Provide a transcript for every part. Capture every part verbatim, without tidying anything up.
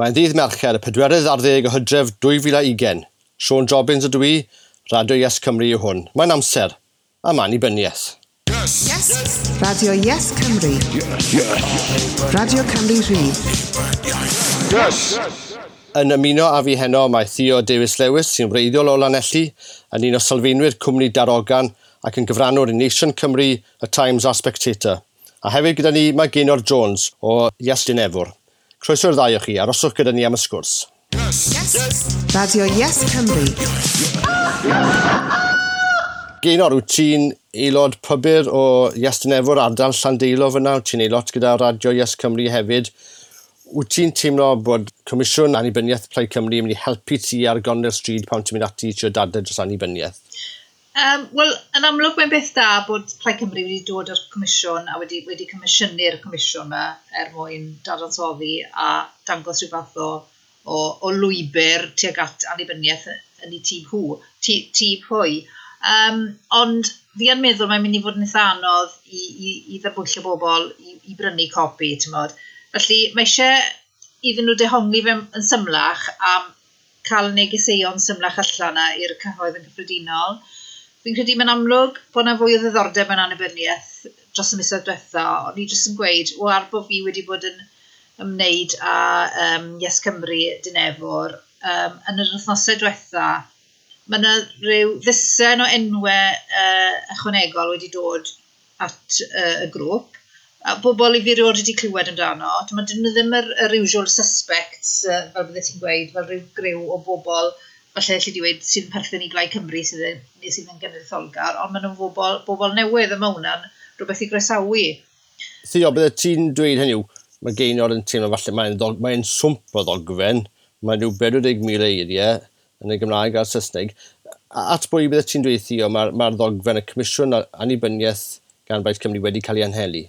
Mae'n ddydd Mercher, y pedwerydd ar ddeg o Hydref dwy fil a ugain. Siôn Jobbins ydw i, Radio Yes Cymru yw hwn. Mae'n amser am annibyniaeth. Yes. Yes. Radio Yes Cymru. Yes. Yes. Radio Cymru Rhydd. Yes. Yn ymuno â fi heno mae Theo Davies Lewis, sy'n wreiddiol o Lanelli, yn un o sylfaenwyr cwmni Darogan ac yn gyfrannwr i Nation Cymru, y Times a'r Spectator. A hefyd gyda ni mae Gaynor Jones o Yes Dinefwr. Croeso'r ddau o chi, aroswch gyda ni am y sgwrs. Yes. Yes. Radio Yes Cymru. Gaynor, wyt ti'n aelod pybyr o Yes Dinefwr, ardal Llandeilo fyna? Wyt ti'n aelod gyda Radio Yes Cymru hefyd? Wyt ti'n teimlo bod Comisiwn Annibyniaeth Plaid Cymru yn mynd i helpu ti ar gornel stryd pan ti'n mynd ati i trio dadlau dros annibyniaeth? Um, Wel, yn amlwg mae'n beth da bod Plaid Cymru wedi dod o'r comisiwn a wedi, wedi comisiynu'r comisiwn yma er mwyn dadansoddi a dangos rhyw fath o, o, o lwybr tuag at annibyniaeth yn ei tîm hw, tîm hwy. Um, ond fi yn meddwl mae'n mynd i fod yn eitha anodd i, i, i ddarbwyllo bobl i, i brynu copi, ti'n modd. Felly mae eisiau iddyn nhw dehongli fe yn symlach a cael negeseuon symlach allan yna i'r cyhoedd yn cyffredinol. Fi'n credu mae'n amlwg bod yna fwy o ddiddordeb yn annibyniaeth dros y misoedd diwetha, ond ni jyst yn gweud, o ar bod fi wedi bod yn ymwneud â um, Yes Cymru Dinefwr, um, yn yr wythnosau diwetha, mae yna rhyw ddisen o enwau uh, ychwanegol wedi dod at uh, y grŵp a bobl i fi erioed wedi clywed amdano. Dyn nhw ddim yr, yr usual suspects, uh, fel bydde ti'n gweud, fel rhyw griw o bobl, falle allu di weud, sydd yn perthyn i Blaid Cymru sydd yn, neu sydd yn genedlaetholgar, ond maen nhw'n bobl, bobl newydd yma, hwnna'n rhywbeth i groesawu. Theo, bydde ti'n dweud, hynny yw, mae Gaynor yn teimlo falle mae'n mae swmp o ddogfen, mae'n rhyw pedwar deg mil eiriau yn y Gymraeg a'r Saesneg. At bwy bydde ti'n dweud, Theo, mae'r mae ddogfen y Comisiwn Annibyniaeth gan Blaid Cymru wedi cael ei anhelu?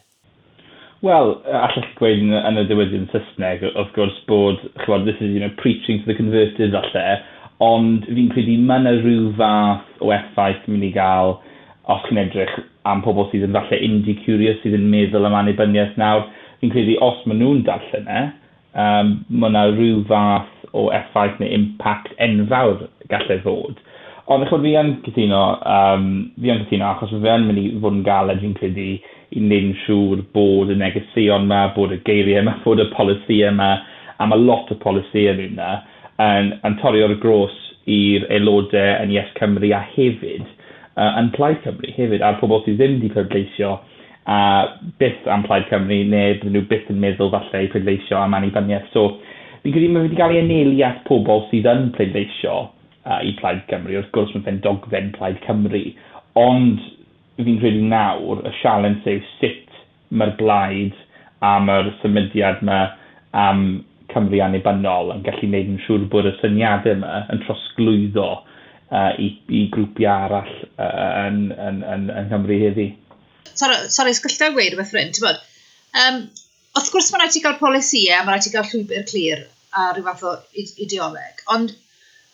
Wel, allech chi gweud yn, yn y diwydiant Saesneg, wrth gwrs, bod, chymod, this is, you know, preaching to the converted falle, ond fi'n credu mae yna rhyw fath o effaith mynd i gael os chi'n edrych am pobl sydd yn falle indie curious, sydd yn meddwl am annibyniaeth nawr. Fi'n credu os maen nhw'n darllen e, um, mae yna rhyw fath o effaith neu impact enfawr gallai fod. Ond chymod, fi yn cytuno, um, fi yn cytuno achos fe yn mynd i fod yn galed, fi'n credu, i wneud yn siŵr bod y negeseuon yma, bod y geiriau yma, bod y polisïau yma, a mae lot o polisïau yna, yn, yn torri o'r gros i'r aelodau yn Yes Cymru a hefyd uh, yn Plaid Cymru hefyd, a'r pobl sydd ddim wedi pleidleisio a byth am Plaid Cymru, neu bydden nhw byth yn meddwl falle i pleidleisio am annibyniaeth. So, fi'n credu mae wedi cael ei anelu at pobl sydd yn pleidleisio uh, i Plaid Cymru. Wrth gwrs mae'n fe'n dogfen Plaid Cymru, ond fi'n credu nawr y sialens yw sut mae'r blaid a mae'r symudiad yma am Cymru annibynnol yn gallu gwneud yn siŵr bod y syniadau yma yn trosglwyddo uh, i, i grwpiau arall uh, yn, yn, yn, yn Nghymru heddi. Sorry, sorry, sgyllta gweud rhywbeth ffrind, ti'n bod? Um, wrth gwrs mae rhaid ti gael polisïau, mae rhaid ti gael llwybr clir a rhyw fath o ideoleg, ond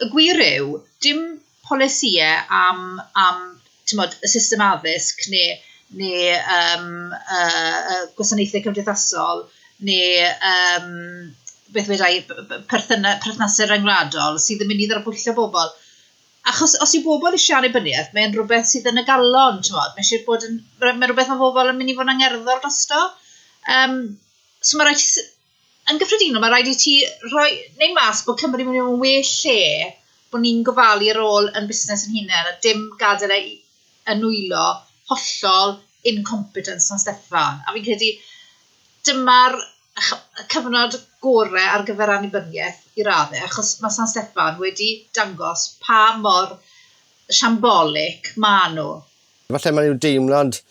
y gwir yw, dim polisïau am, am mod, y system addysg neu, neu um, uh, uh, gwasanaethau cymdeithasol neu um, beth wedai, perthnasau rhyngwladol sydd yn mynd i ddarbwyllo bobl. Achos os yw bobl eisiau annibyniaeth, mae'n rhywbeth sydd yn y galon, ti'n modd. Mae eisiau bod yn, mae'n rhywbeth mae bobl yn mynd i fod yn angerddol drosto. Um, so mae rhaid ti, yn gyffredinol, mae rhaid i ti rhoi, neu mas bod Cymru mynd i fod yn well lle bod ni'n gofalu ar ôl yn busnes yn hunain a dim gadael e yn nwylo hollol incompetent San Steffan. A fi'n credu dyma'r cyfnod gorau ar gyfer annibyniaeth i raddau, achos mae San Steffan wedi dangos pa mor shambolic ma nhw. Falle mae'n rhyw deimlad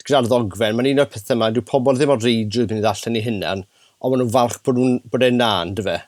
gyda'r ddogfen, mae'n un o'r pethau yma, dyw pobl ddim o'r reidrwydd mynd i ddarllen i hunan, ond maen nhw'n falch bod, nhw'n, bod e'n na, on'd fe?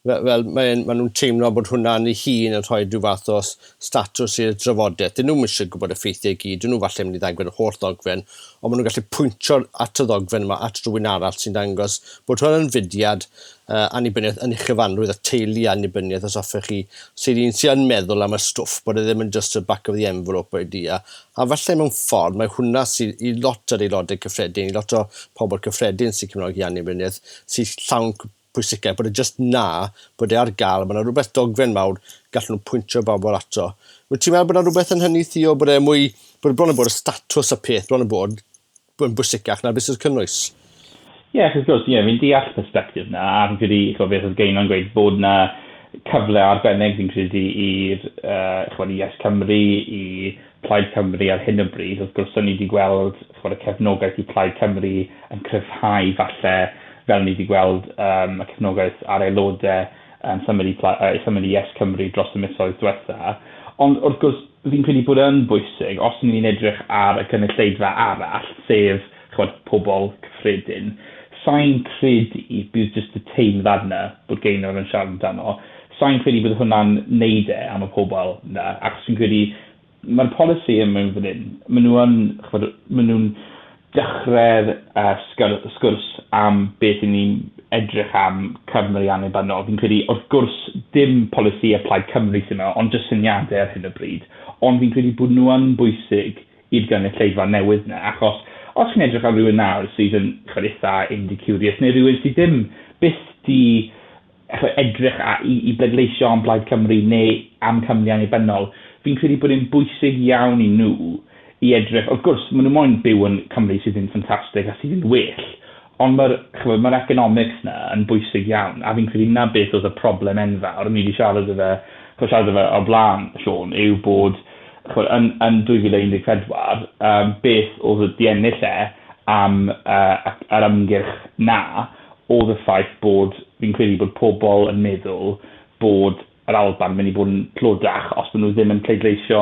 Fel, fel maen ma nhw'n teimlo bod hwnna'n ei hun yn rhoi rhyw fath o statws i'r drafodaeth. Dyn nhw'n eisiau gwybod y ffeithiau i gyd, dyn nhw falle mynd i ddangos yr holl ddogfen, ond maen nhw'n gallu pwyntio at y ddogfen yma, at rhywun arall sy'n dangos bod hwn yn fudiad uh, annibyniaeth yn ei chyfanrwydd a teulu annibyniaeth, os hoffech chi, sydd un sy'n meddwl am y stwff, bod e ddim yn just y back of the envelope idea. A falle mewn ffordd, mae hwnna sydd i lot o'r aelodau cyffredin, i lot o pobl cyffredin sy'n cefnogi annibyniaeth, sy'n llawn pwysicau, bod e just na, bod e ar gael, mae yna rhywbeth dogfen mawr, gallen nhw pwyntio bobl ato. Wyt ti'n meddwl bod yna rhywbeth yn hynny, Theo, bod e mwy, bod e bron yn bod y statws y peth, bron yn bod yn bwysicach na beth sy'n cynnwys? Ie, yeah, wrth gwrs, ie, yeah, fi'n deall perspective na, a fi'n credu, chwa, beth oedd Geinon gweud, bod na cyfle arbennig fi'n credu i'r uh, chwa, i Yes Cymru, i Plaid Cymru ar hyn o bryd. Wrth gwrs, o'n ni wedi gweld chwa, y cefnogaeth i Plaid Cymru yn cryfhau falle, fel ni wedi gweld um, y cefnogaeth ar aelodau um, symud i, uh, symud i Yes Cymru dros y misoedd diwetha. Ond wrth gwrs, fi'n credu bod yn bwysig, os ni'n edrych ar y cynulleidfa arall, sef chwad, pobl cyffredin, sa'n credu bydd jyst y teimlad yna bod Geinor yn siarad amdano. Sa'n credu bydd hwnna'n neud e am y pobl yna, achos fi'n credu mae'r polisi yn mewn fan hyn, maen nhw yn, chwad, maen nhw'n dechrau'r uh, sgwrs, sgwrs am beth i ni'n edrych am Cymru annibynnol. Fi'n credu, wrth gwrs, dim polisi a Plaid Cymru sy'n yma, ond jyst syniadau ar hyn o bryd. Ond fi'n credu bod nhw yn bwysig i'r gynulleidfa newydd yna, achos os chi'n edrych ar rhywun nawr sydd yn chwad, eitha indie-curious, neu rhywun sydd ddim byth di edrych a, i, i bleidleisio am Blaid Cymru neu am Cymru annibynnol, fi'n credu bod e'n bwysig iawn i nhw i edrych. Wrth gwrs, maen nhw moyn byw yn Cymru sydd yn ffantastig a sydd yn well, ond mae'r ma economics na yn bwysig iawn, a fi'n credu na beth oedd y problem enfawr, ni wedi siarad efo, siarad efo o blaen, Siôn, yw bod chwbod, yn, yn dwy fil un deg pedwar, um, beth oedd y di ennill e am uh, yr ymgyrch na, oedd y ffaith bod, fi'n credu bod pobl yn meddwl bod yr Alban mynd i bod yn tlodach os maen nhw ddim yn pleidleisio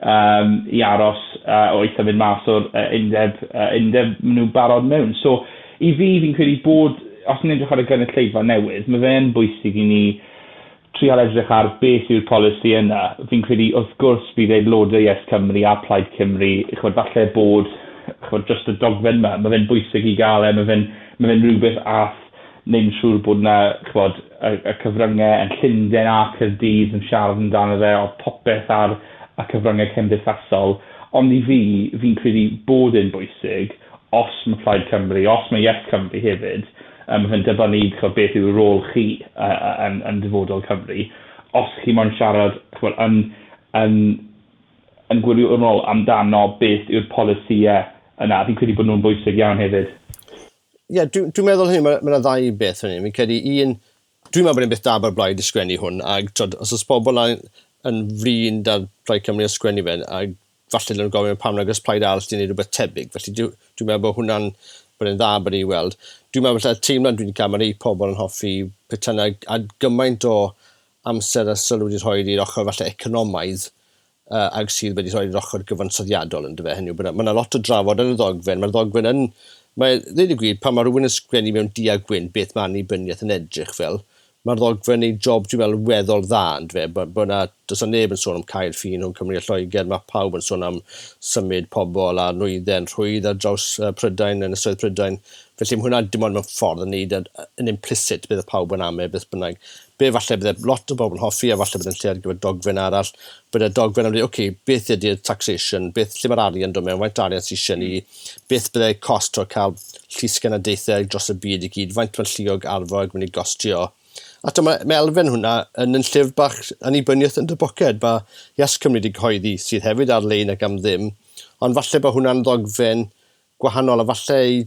um, i aros uh, o eitha mynd mas o'r uh, undeb, uh, undeb maen nhw barod mewn. So, i fi, fi'n credu bod, os ni'n edrych ar y gynulleidfa newydd, mae fe'n bwysig i ni trial edrych ar beth yw'r polisi yna. Fi'n credu, wrth gwrs, bydd aelodau Yes Cymru a Plaid Cymru, chwbod, falle bod, chwbod, just y dogfen yma, mae fe'n bwysig i gael e, mae fe'n mae fe'n rhywbeth ath neu'n siŵr bod yna, chwbod, y, y cyfryngau yn Llundain a Caerdydd yn siarad amdano fe, o popeth ar y cyfryngau cymdeithasol. Ond i fi, fi'n credu bod e'n bwysig, os mae Plaid Cymru, os mae Yes Cymru hefyd, um, yn dibynnu chwbod, beth yw'r rôl chi uh, yn, yn dyfodol Cymru, os chi moyn siarad chwbod, yn, yn, yn gwirionol amdano beth yw'r polisïau yna, fi'n credu bod nhw'n bwysig iawn hefyd. Ie, yeah, dwi'n dwi meddwl hynny, mae yna ddau beth hynny. Fi'n credu un, dwi'n meddwl bod e'n beth da bod Blaid i sgwennu hwn, ac twod, os oes pobl yn, yn flin da'r Plaid Cymru yn sgwennu fe, ac falle nhw'n gofyn pam nag oes Plaid arall di wneud rhywbeth tebyg. Felly dwi'n dwi meddwl bod hwnna'n bod e'n dda bod ei weld. Dwi'n meddwl falle teimlad dwi'n cael, mae rhai pobl yn hoffi petai a gymaint o amser a sylw wedi rhoi i'r ochr falle economaidd uh, ag sydd wedi rhoi i'r ochr gyfansoddiadol yn dyfe. Hynny yw, mae yna lot o drafod yn y ddogfen. Mae'r ddogfen yn... Mae, dweud y gwir, pan mae rhywun yn sgwennu mewn du a gwyn beth mae annibyniaeth yn edrych fel, mae'r ddogfen ei job, dwi'n meddwl, weddol dda, yn dyfe, bod, bod na, does na neb yn sôn am cael ffin rhwng Cymru a Lloegr, mae pawb yn sôn am symud pobl a nwyddau yn rhwydd ar draws uh, Prydain, yn ynysoedd Prydain. Felly mae hwnna dim ond mewn ffordd yn neud yn, yn implicit bydd y pawb yn amau beth bynnag. Be falle bydde lot o bobl yn hoffi a falle bydd yn lle ar gyfer dogfen arall. Bydde dogfen am dweud, oce, okay, beth ydy'r taxation, beth lle mae'r arian dod mewn, faint arian sydd eisiau ni, beth bydde cost o cael llysgenadaethau dros y byd i gyd, faint mae'r lluog arfog mynd i gostio. A to, mae, mae elfen hwnna yn yn llyfr bach annibyniaeth yn dy boced. Mae Yes Cymru wedi cyhoeddi sydd hefyd ar-lein ac am ddim, ond falle bod hwnna'n ddogfen gwahanol a falle i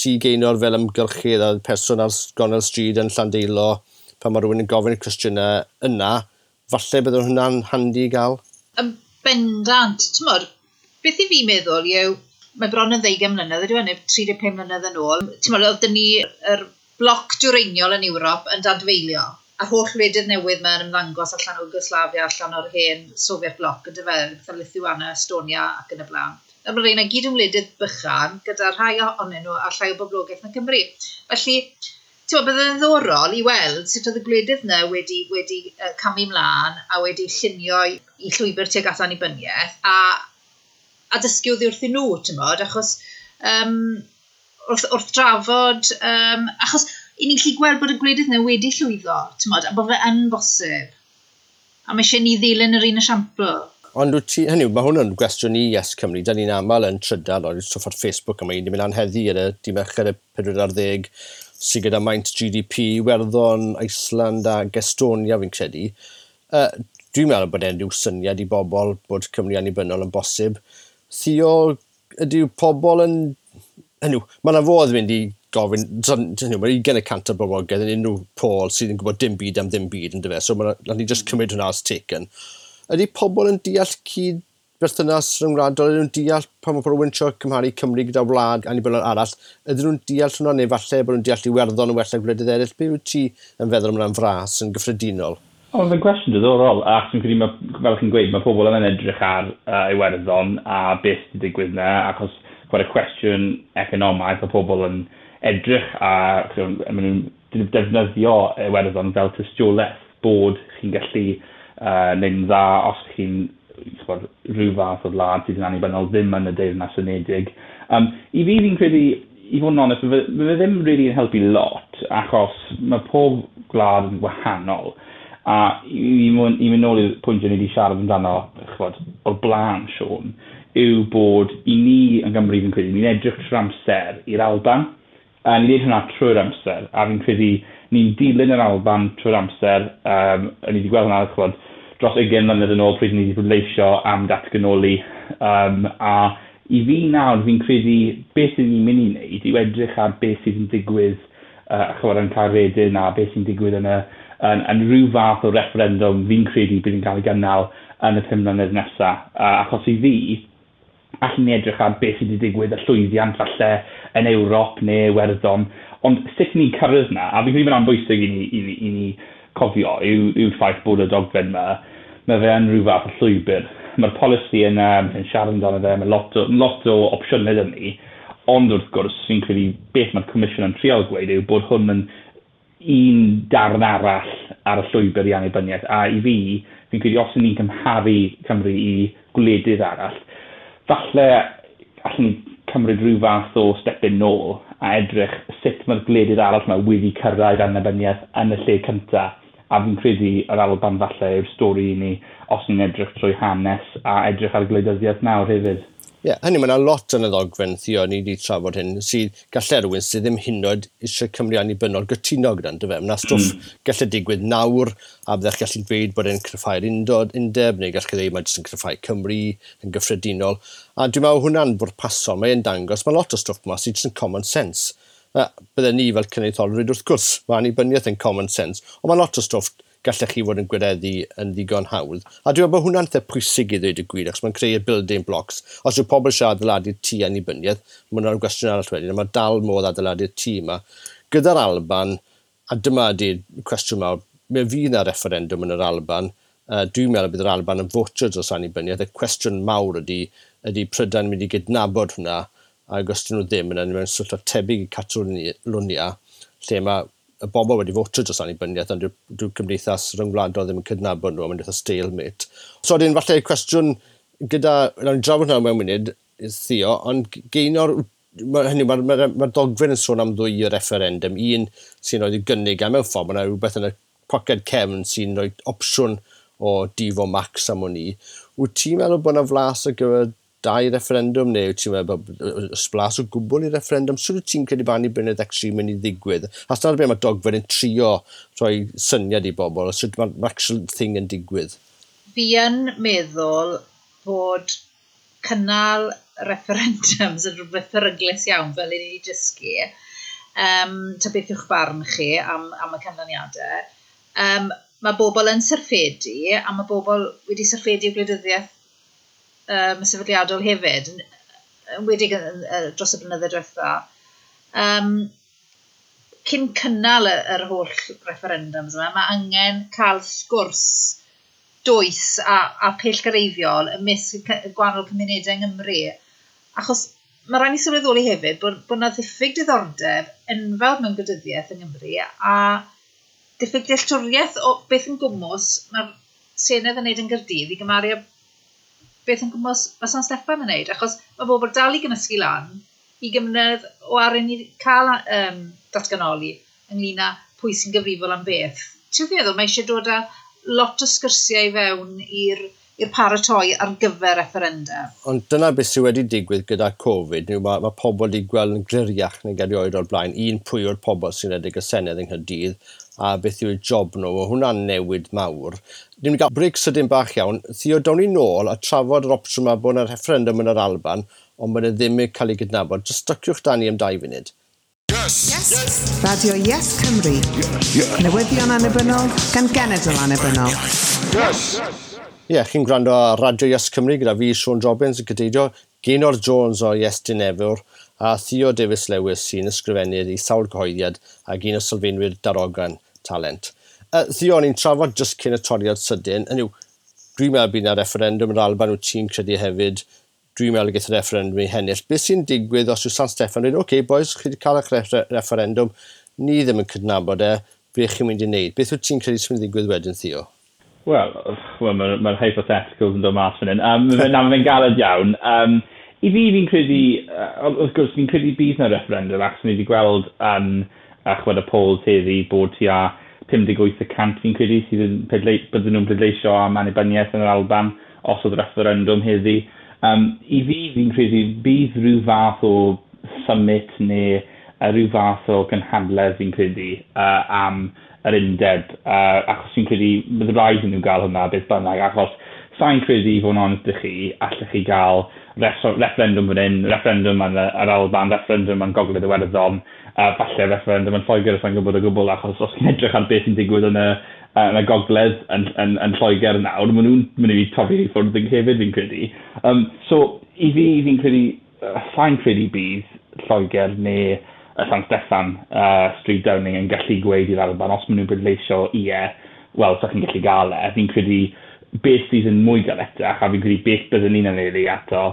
ti Geinor fel ymgyrchydd a person ar gornel stryd yn Llandeilo, pan mae rhywun yn gofyn y cwestiynau yna, falle bydd hwnna'n handi i gael? Yn bendant, t'mod, beth i fi meddwl yw, mae bron yn ddeugain mlynedd, ydyw e, neu tri deg pump mlynedd yn ôl, t'mod, oedd ni yr bloc dwyreiniol yn Ewrop yn dadfeilio, a'r holl wledydd newydd mae'n ymddangos allan o Yugoslavia, allan o'r hen Soviet bloc, yn dyfe, fatha Lithuania, Estonia ac yn y blaen. A mae'r rheina gyd yn wledydd bychan, gyda rhai ohonyn nhw a llai o boblogaeth na Cymru. Felly, ti'n gwbod, bydd yn ddiddorol i weld sut oedd y gwledydd yna wedi, wedi uh, camu mlaen a wedi llunio i, i llwybr tuag at annibyniaeth a, a dysgu oddi wrthyn nhw, ti'n gwbod, achos um, wrth, wrth drafod, um, achos i ni'n gallu gweld bod y gwledydd yna wedi llwyddo, ti'n gwbod, a bod fe yn bosib. A mae eisiau ni ddilyn yr un esiampl. Ond wyt ti, hynny yw, mae hwn yn gwestiwn i Yes Cymru. Da ni'n aml yn trydar o'r stwff ar Facebook yma, ni'n mynd anheddi ar y dydd Mercher y pedwar ar ddeg sydd gyda maint G D P, Iwerddon, Iceland ac Estonia fi'n credu. Uh, dwi'n meddwl bod e'n rhyw syniad i bobl bod Cymru annibynnol yn bosib. Theo, ydyw pobl yn... Hynny, mae yna fodd mynd i gofyn, hynny, mae ugain y cant o'r boblogaeth yn unrhyw poll sydd yn gwybod dim byd am ddim byd, yndyfe, so mae ni just cymryd hwnna as taken. Ydy pobl yn deall cyd berthynas rhyngwladol, ydyn nhw'n deall pan mae pobl yn trio cymharu Cymru gyda wlad annibynnol arall, ydyn nhw'n deall hwnna neu falle bod nhw'n deall Iwerddon yn well na gwledydd eraill? Be wyt ti yn feddwl am hwnna'n fras yn gyffredinol? O, mae'n gwestiwn diddorol, ac dwi'n credu, ma, fel chi'n gweud, mae pobl yn edrych ar uh, Iwerddon a beth sy'n digwydd yna, achos chwarae cwestiwn economaidd, mae pobl yn edrych a maen nhw'n defnyddio Iwerddon fel tystiolaeth bod chi'n gallu uh, neud yn dda os chi'n chwbod, rhyw fath o wlad sydd yn annibynnol ddim yn y Deyrnas Unedig. Um, I fi fi'n credu, i fod yn onest, mae fe ddim really yn helpu lot, achos mae pob gwlad yn wahanol. A i, i, i mynd nôl i'r pwynt ni wedi siarad amdano, chwbod, o'r blaen, Siôn, yw bod i ni yn Gymru fi'n credu, ni'n edrych trwy'r amser i'r Alban, a ni'n neud hwnna trwy'r amser, a fi'n credu ni'n dilyn yr Alban trwy'r amser, um, a ni wedi gweld hwnna, chwbod, dros ugain mlynedd yn ôl pryd ni wedi pleidleisio am datganoli, um, a i fi nawr fi'n credu beth sydd ni'n mynd i wneud yw edrych ar beth sydd yn digwydd uh, chwbod, yn Caeredin a beth sy'n digwydd yn, y, yn, yn rhyw fath o referendum fi'n credu bydd yn cael ei gynnal yn y pum mlynedd nesaf. Uh, achos i fi, allan ni edrych ar beth sydd wedi digwydd, y llwyddiant falle yn Ewrop neu Iwerddon, ond sut ni'n cyrraedd yna, a fi'n credu mae'n bwysig i ni, i ni, i ni cofio yw, yw'r ffaith bod y dogfen yma, mae fe yn rhyw fath o llwybr. Mae'r polisi yna, mae'n siarad amdano fe, mae lot o, lot o opsiynau 'da ni, ond wrth gwrs, fi'n credu beth mae'r Comisiwn yn trial gweud yw bod hwn yn un darn arall ar y llwybr i annibyniaeth, a i fi, fi'n credu os ni'n cymharu Cymru i gwledydd arall, falle allan ni cymryd rhyw fath o step yn nôl a edrych sut mae'r gwledydd arall yma wedi cyrraedd annibyniaeth yn y lle cyntaf. A fi'n credu yr Alban falle yw'r stori i ni os ni'n edrych trwy hanes a edrych ar gwleidyddiaeth nawr hefyd. Ie, yeah, hynny, mae yna lot yn y ddogfen, Theo, ni wedi trafod hyn, sydd gallai rhywun sydd ddim hyd yn oed eisiau Cymru annibynnol gytuno gyda, yndyfe? Mae yna stwff mm. gallu digwydd nawr, a byddech gallu dweud bod e'n cryfhau'r undod, undeb, neu gallech chi ddweud mae jyst yn cryfhau Cymru yn gyffredinol. A dwi'n meddwl hwnna'n bwrpasol, mae'n dangos, mae lot o stwff yma sydd jyst yn common sense. Uh, bydden ni fel cenedlaetholwyr, wrth gwrs, mae annibyniaeth yn common sense, ond mae lot o stwff gallech chi fod yn gwireddu yn ddigon hawdd. A dwi'n meddwl bod hwnna'n eitha pwysig i ddweud y gwir, achos mae'n creu y building blocks. Os yw pobl eisiau adeiladu'r tŷ annibyniaeth, mae hwnna'n gwestiwn arall wedyn, a mae dal modd adeiladu'r tŷ yma. Gyda'r Alban, a dyma ydy'r cwestiwn mawr, mi fydd yna referendum yn yr Alban, uh, dwi'n meddwl bydd yr Alban yn fotio dros annibyniaeth. Y cwestiwn mawr ydy, ydy Prydain mynd i gydnabod hwnna, ac os dyn nhw ddim, yna mewn sefyllfa tebyg i Catalonia, lle mae y bobl wedi fotio dros annibyniaeth, ond dyw'r cymdeithas ryngwladol ddim yn cydnabod nhw, a mae'n eitha stalemate. So, wedyn, falle cwestiwn gyda, nawn ni drafod hwnna mewn munud, Theo, ond Geinor, mae hynny, mae'r ma, ma, ma dogfen yn sôn am ddwy referendum, un sy'n rhoi gynnig, a mewn ffordd, mae yna rhywbeth yn y poced cefn sy'n rhoi opsiwn o Devo Max am wn i. Wyt ti'n meddwl bod yna flas ar gyfer dau referendum, neu wyt ti'n meddwl bod blas o gwbl i referendum? Sut wyt ti'n credu bod annibyniaeth actually mynd i ddigwydd? A dyna beth mae dogfen yn trio rhoi syniad i bobl, sut mae'r actual thing yn digwydd? Fi yn meddwl bod cynnal referendums yn rhywbeth peryglus iawn, fel i ni wedi dysgu. Um, ta beth yw'ch barn chi am, am y canlyniadau. Um, mae bobl yn syrffedu, a mae bobl wedi syrffedu o gwleidyddiaeth um, sefydliadol hefyd, yn enwedig dros y blynyddoedd diwetha. Um, cyn cynnal yr holl referendums yma, mae angen cael sgwrs dwys a, a pellgyrhaeddiol ymysg y gwahanol cymunedau yng Nghymru. Achos mae rhaid ni sylweddoli hefyd bod, bod yna ddiffyg diddordeb enfawr mewn gwleidyddiaeth yng Nghymru a diffyg dealltwriaeth o beth yn gwmws mae'r Senedd yn neud yn Gaerdydd i gymharu â beth yn gwmws mae San Steffan yn neud, achos mae bobl dal i gymysgu lan i gymryd o ar i cael um, datganoli ynglyn â pwy sy'n gyfrifol am beth. Ti'n feddwl, mae eisiau dod â lot o sgyrsiau i fewn i'r i'r paratoi ar gyfer referendum. Ond dyna beth sydd wedi digwydd gyda Covid, yw mae, mae pobl wedi gweld yn gliriach nag erioed o'r blaen, un pwy o'r pobl sy'n rhedeg y Senedd yng Nghaerdydd, a beth yw'r job nhw, mae hwnna'n newid mawr. Ni'n mynd i gael break sydyn bach iawn. Theo, down ni nôl a trafod yr opsiwn yma bod yna referendum yn yr Alban, ond bod e ddim yn cael ei gydnabod. Just styciwch da ni am dau funud. Yes. Yes. Radio Yes Cymru. Yes. Newyddion annibynnol gan genedl annibynnol. Yes. Ie, yeah, chi'n gwrando ar Radio Yes Cymru gyda fi, Siôn Jobbins, yn cadeirio, Gaynor Jones o Yes Dinefwr a Theo Davies Lewis sy'n ysgrifennydd i sawl cyhoeddiad ac un o sylfaenwyr Darogan Talent. Uh, Theo, o'n i'n trafod just cyn y toriad sydyn. Hynny yw, dwi'n meddwl bydd yna referendum yn yr Alban, wyt ti'n credu hefyd, dwi'n meddwl y geith y referendum ei hennill. Beth sy'n digwydd os yw San Steffan dweud, oce, okay, boys, chi wedi cael eich refer referendum, ni ddim yn cydnabod e, beth chi'n mynd i wneud? Beth wyt ti'n credu sy'n mynd i ddigwydd wedyn, Theo? Wel, well, mae'r ma hypotheticals yn dod mas fan hyn. Um, na, mae'n galed iawn. Um, I fi, fi'n credu, uh, wrth gwrs, fi'n credu bydd na referendum, achos ni wedi gweld yn um, chwed y polls heddi bod tua pum deg wyth y cant fi'n credu sydd yn bydden nhw'n pleidleisio am annibyniaeth yn yr Alban os oedd referendum heddi. Um, I fi, fi'n credu bydd rhyw fath o summit neu uh, rhyw fath o gynhadledd fi'n credu uh, am yr undeb, uh, achos fi'n credu bydd rhaid i nhw gael hwnna beth bynnag, achos sa'n credu i fod yn onest â chi, allech chi gael referendum fan hyn, referendum yn yr Alban, referendum yn Gogledd Iwerddon, uh, falle referendum yn Lloegr, os sa'n gwybod o gwbl, achos os chi'n edrych ar beth sy'n digwydd yn y, yn y Gogledd yn, yn, yn Lloegr nawr, maen nhw'n mynd i torri i ffwrdd yn hefyd fi'n credu. Um, so, i fi, fi'n credu, uh, sa'n credu bydd Lloegr neu y San Steffan, uh, Stryd Downing yn gallu gweud i'r Alban, os maen nhw'n pleidleisio ie, wel, sa chi'n gallu gael e. Fi'n credu beth sydd yn mwy galetach, a fi'n credu beth byddwn ni'n anelu ato,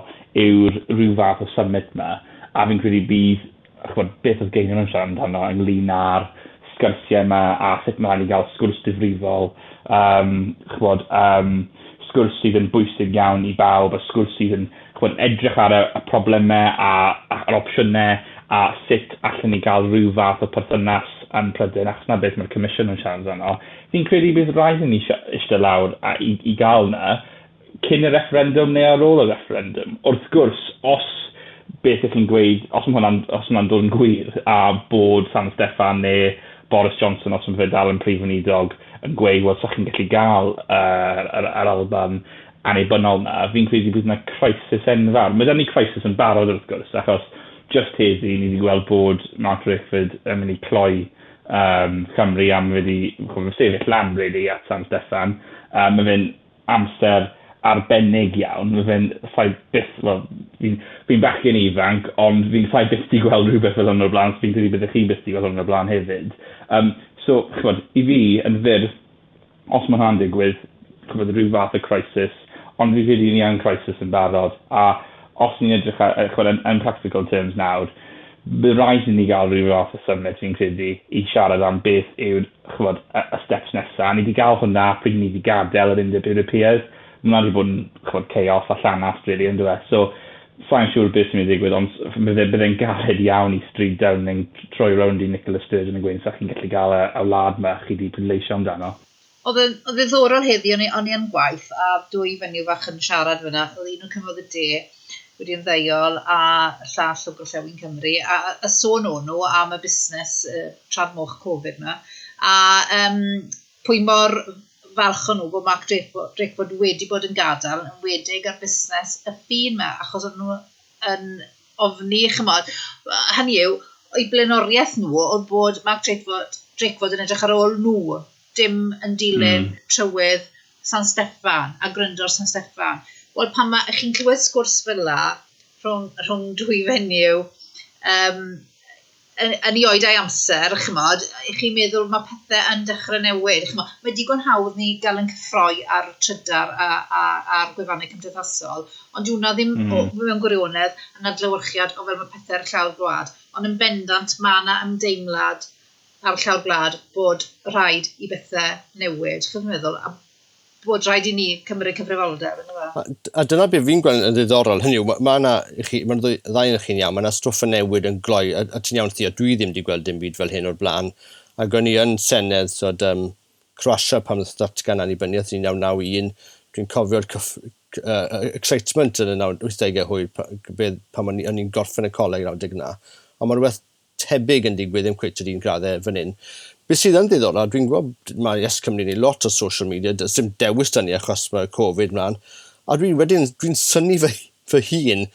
yw'r rhyw fath o summit yma, a fi'n credu bydd, ch'mod, beth oedd Gaynor yn siarad amdano ynglyn â'r sgyrsiau yma, a sut mae rhaid i gael sgwrs difrifol, um, ch'mod, um, sgwrs sydd yn bwysig iawn i bawb, a sgwrs sydd yn, ch'mod, edrych ar y, y problemau a, a'r opsiynau, a sut allan ni gael rhyw fath o perthynas yn Prydain, achos na beth mae'r Comisiwn yn siarad amdano. Fi'n credu bydd rhaid i ni eistedd lawr a, i, i gael na cyn y referendum neu ar ôl y referendum. Wrth gwrs, os beth ydych chi'n gweud, os mae hwnna'n, os hwnna'n dod yn gwir, a bod San Steffan neu Boris Johnson, os mae fe dal yn prif weinidog, yn gweud, wel, sa chi'n gallu gael uh, yr, yr Alban annibynnol na, fi'n credu bydd yna crisis enfawr. Mae 'da ni crisis yn barod wrth gwrs, achos just heddi ni wedi gweld bod Mark Drakeford yn mynd i cloi um, Cymru am wedi sefyll lan really at San Steffan. Um, mae fe'n amser arbennig iawn. Mae fe'n sa'i byth, wel, fi'n fi bachgen ifanc, ond fi'n sa'i byth di gweld rhywbeth fel hwn o'r blaen, so fi'n credu byddech chi byth di gweld hwn o'r blaen hefyd. Um, so, ch'mod, i fi, yn fyr, os mae hwnna'n digwydd, ch'mod, rhyw fath o crisis, ond fi'n credu ni yn crisis yn barod, a os ni'n edrych ar, ch'mod, yn, yn practical terms nawr, bydd rhaid i ni gael rhyw fath o summit, fi'n credu, i siarad am beth yw'r, ch'mod, y, y steps nesaf. Ni wedi gael hwnna pryd ni wedi gadael yr Undeb Ewropeaidd. Mae hwnna wedi bod yn, ch'mod, chaos a llanast, really, yn dyw e. So, sa'n siŵr beth sy'n mynd i ddigwydd, ond bydde, bydde'n galed iawn i Stryd Downing troi rownd i Nicola Sturgeon yn gweud, sa chi'n gallu gael y, y wlad yma chi wedi pleidleisio amdano. Oedd yn ddiddorol heddi, o'n i, o'n i yn gwaith, a dwy fenyw fach yn siarad fyna, oedd un o'n cymryd y de wedi ymddeol a llall o Gorllewin Cymru, a, a sôn o'n nhw am y busnes uh, trad moch Covid yma, a um, pwy mor falch o'n nhw bod Mark Drakeford wedi bod yn gadael, yn wedig ar busnes y ffin yma, achos o'n nhw yn ofni, chymod, hynny yw, o'i blaenoriaeth nhw oedd bod Mark Drakeford, Drakeford yn edrych ar ôl nhw, dim yn dilyn mm. trywydd San Steffan a gryndo ar San Steffan. Wel, pan mae chi'n clywed sgwrs fel la rhwng, rhwng dwy fenyw um, yn, yn ei oed a'i amser, chymod, chi'n meddwl mae pethau yn dechrau newid. Chymod, mae digon hawdd ni gael yn cyffroi ar trydar a, a, a'r gwefannau cymdeithasol, ond dyw hwnna ddim mm. o, mewn gwirionedd yn adlewyrchiad o fel mae pethau ar llawr gwlad. Ond yn bendant mae yna ymdeimlad ar llawr gwlad bod rhaid i bethau newid. Chi'n meddwl, a bod rhaid i ni cymryd cyfrifoldeb. A, a dyna beth fi'n gweld yn ddiddorol, hynny yw, mae yna, mae'r ddau yn chi'n iawn, mae yna stwff yn newid yn gloi, a, a ti'n iawn Theo, dwi ddim wedi gweld dim byd fel hyn o'r blaen, ac o'n i yn Senedd, so, um, Croatia pan oedd datgan annibyniaeth un naw naw un, Dwi'n cofio'r uh, excitement yn y wythdegau hwyr pan o'n i'n gorffen y coleg naw deg na. Ond mae rhywbeth tebyg yn digwydd, ddim cweit yr un graddau fan hyn. Beth sydd yn ddiddorol, dwi'n gwybod mae Yes Cymru ni lot o social media, does dim dewis da ni achos mae Covid mlaen. A dwi'n wedyn, dwi'n synnu fy, fy hun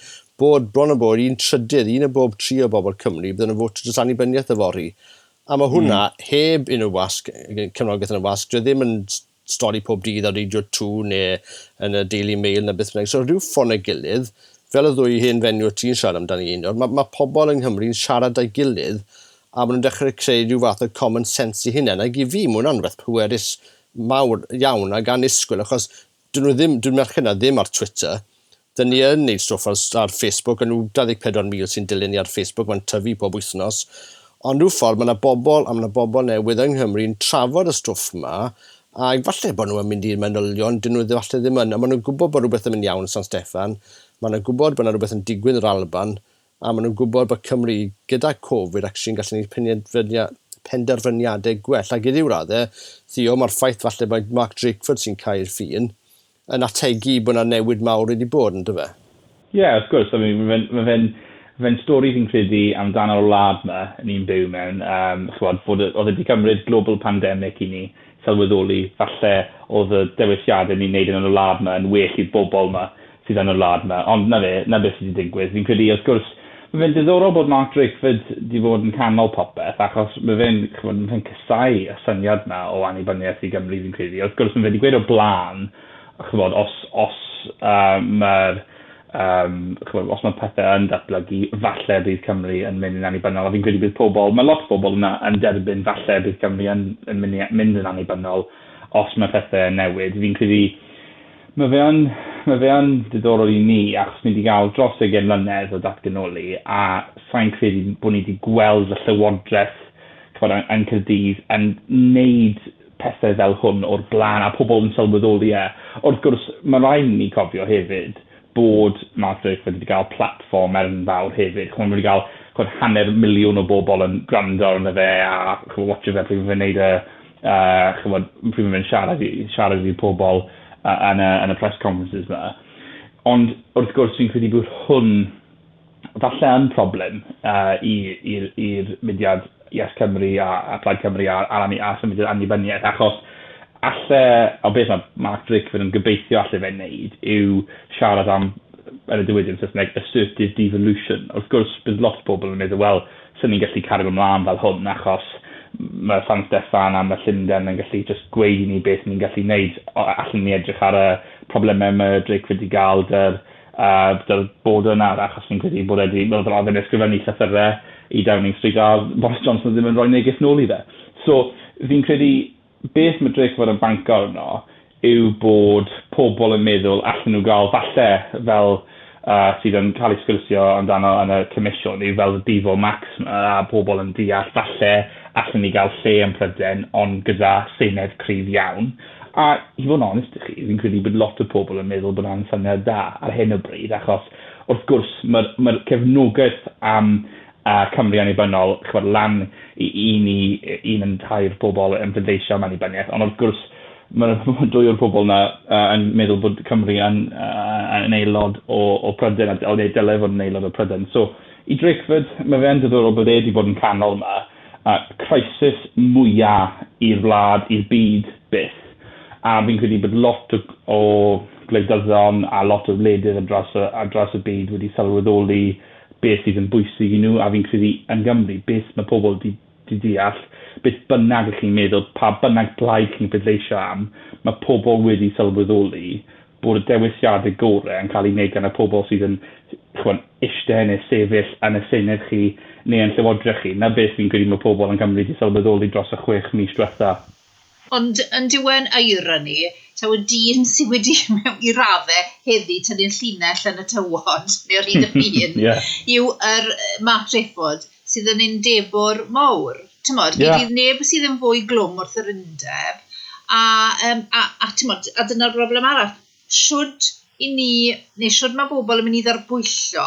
bod bron o bod un trydydd, un o bob tri o bobl Cymru, bydden nhw'n fod dros annibyniaeth yfory. A mae hwnna mm. heb unrhyw wasg, cefnogaeth yn y wasg, dwi ddim yn stori pob dydd ar Radio dau neu yn y Daily Mail neu beth bynnag. So rhyw ffordd neu gilydd, fel y ddwy hen fenyw ti'n siarad amdani un, mae, mae pobl yng Nghymru'n siarad â'i gilydd a maen nhw'n dechrau creu rhyw fath o common sense i hunain. Ac i fi, mae hwnna'n rhywbeth pwerus mawr iawn ac annisgwyl, achos dyn nhw ddim, dyn merched na ddim ar Twitter. Dyn ni yn neud stwff ar, ar Facebook, a nhw dau ddeg pedwar mil sy'n dilyn ni ar Facebook, mae'n tyfu pob wythnos. Ond rhyw ffordd, mae yna bobl, a mae yna bobl newydd yng Nghymru'n trafod y stwff yma, a falle bod nhw'n mynd i'r manylion, dyn nhw falle ddim yn, a maen nhw'n gwybod bod rhywbeth yn mynd iawn yn San Steffan, maen nhw'n gwybod bod yna rhywbeth yn digwydd yn yr Alban, a maen nhw'n gwybod bod Cymru gyda Covid actually'n gallu gwneud penderfyniadau gwell. Ac i ryw raddau, Theo, mae'r ffaith falle bod Mark Drakeford sy'n cael ffin yn ategu bod yna newid mawr wedi bod, yn dyfe? Ie, yeah, wrth gwrs. I mean, mae fe'n ma fe stori fi'n credu amdano'r wlad yma ni'n byw mewn. Um, chwod, bod oedd wedi cymryd global pandemic i ni sylweddoli falle oedd y dewisiadau ni'n neud yn y wlad yma yn well i'r bobl yma sydd yn y wlad yma. Ond na fe, na beth sydd wedi digwydd. Fi'n credu, wrth gwrs, mae fe'n diddorol bod Mark Drakeford wedi bod yn canol popeth, achos mae fe'n ma fe casau y syniad yma o annibyniaeth i Gymru, fi'n credu. Wrth gwrs, mae fe wedi gweud o blaen, chybod, os, os uh, mae'r um, chybod, os mae pethau yn datblygu, falle bydd Cymru yn mynd yn annibynnol. A fi'n credu bydd pobl, mae lot o bobl yna yn derbyn falle bydd Cymru yn, yn mynd, mynd yn annibynnol os mae pethau yn newid. Fi'n credu mae fe yn, mae fe yn diddorol i ni, achos ni wedi cael dros ugain mlynedd o datganoli, a sa'n credu bod ni wedi gweld y llywodraeth chybod, yn, yn Caerdydd yn neud pethau fel hwn o'r blaen, a pobl yn sylweddoli e. Wrth gwrs, mae rhaid i ni cofio hefyd bod Mark Drakeford wedi cael platfform enfawr hefyd. Chymod, wedi cael chymod, hanner miliwn o bobl yn gwrando arno fe a chymod, watcho fe pryd mae'n neud y, uh, chymod, pryd mae'n siarad i, siarad i pobl uh, yn, y, yn y press conferences yma. Ond wrth gwrs, fi'n credu bod hwn falle yn problem uh, i'r mudiad Yes Cymru a, a Plaid Cymru a, a, a, a symudiad annibyniaeth, achos alle, o beth mae Mark Drakeford yn gobeithio alle fe'n neud yw siarad am, yn y diwydiant Saesneg, assertive devolution. Wrth gwrs, bydd lot o bobl yn meddwl, wel, sy'n ni'n gallu cario ymlaen fel hwn, achos mae San Steffan a mae Llundain yn gallu just gweud i ni beth ni'n gallu neud. Allen ni edrych ar y problemau mae Drakeford wedi gael dy'r, uh, dy'r border nawr, achos fi'n credu bod wedi, wel, fel oedd yn ysgrifennu llythyrau i Downing Street a Boris Johnson ddim yn rhoi neges nôl i fe. So, fi'n credu beth mae Drakeford yn banco arno yw bod pobl yn meddwl allan nhw gael falle fel uh, sydd yn cael ei sgwrsio amdano yn y comisiwn yw fel y Devo Max a pobl yn deall falle allan ni gael lle yn Prydain ond gyda senedd cryf iawn. A i fod yn onest i chi, fi'n credu bod lot o pobl yn meddwl bod hwnna'n syniad da ar hyn o bryd, achos wrth gwrs mae'r mae cefnogaeth am uh, Cymru annibynnol, chybod, lan i un i un yn tair pobl yn pleidleisio am annibyniaeth, ond wrth gwrs mae ma dwy o'r pobl yna uh, yn meddwl bod Cymru yn, uh, yn aelod o, o Prydain, a neu dylai fod yn aelod o Prydain. So, i Drakeford, mae fe'n diddorol bod e wedi bod yn canol yma, uh, crisis mwyaf i'r wlad, i'r byd byth. A fi'n credu bod lot o, o gwleidyddon a lot o wledydd ar draws y, ar draws y byd wedi sylweddoli beth sydd yn bwysig i nhw, a fi'n credu yn Gymru, beth mae pobl di, di deall, beth bynnag ych chi'n meddwl, pa bynnag blaid chi'n pleidleisio am, mae pobl wedi sylweddoli bod y dewisiadau gorau yn cael ei wneud gan y pobl sydd yn chwan, eistedd neu sefyll yn y senedd chi neu yn llywodraeth chi. Na beth fi'n credu mae pobl yn Cymru wedi sylweddoli dros y chwech mis diwetha. Ond yn diwen irony, taw y dyn sydd wedi mewn i raddau heddi tynnu'r llinell yn y tywod, neu'r hyd y ffin, yeah. yw yr Mark Drakeford sydd yn undebwr mawr. Tymod, yeah. Gyda neb sydd yn fwy glwm wrth yr undeb, a, um, a, a, tymod, a dyna'r broblem arall. Siwd i ni, neu siwd mae bobl yn mynd i ddarbwyllo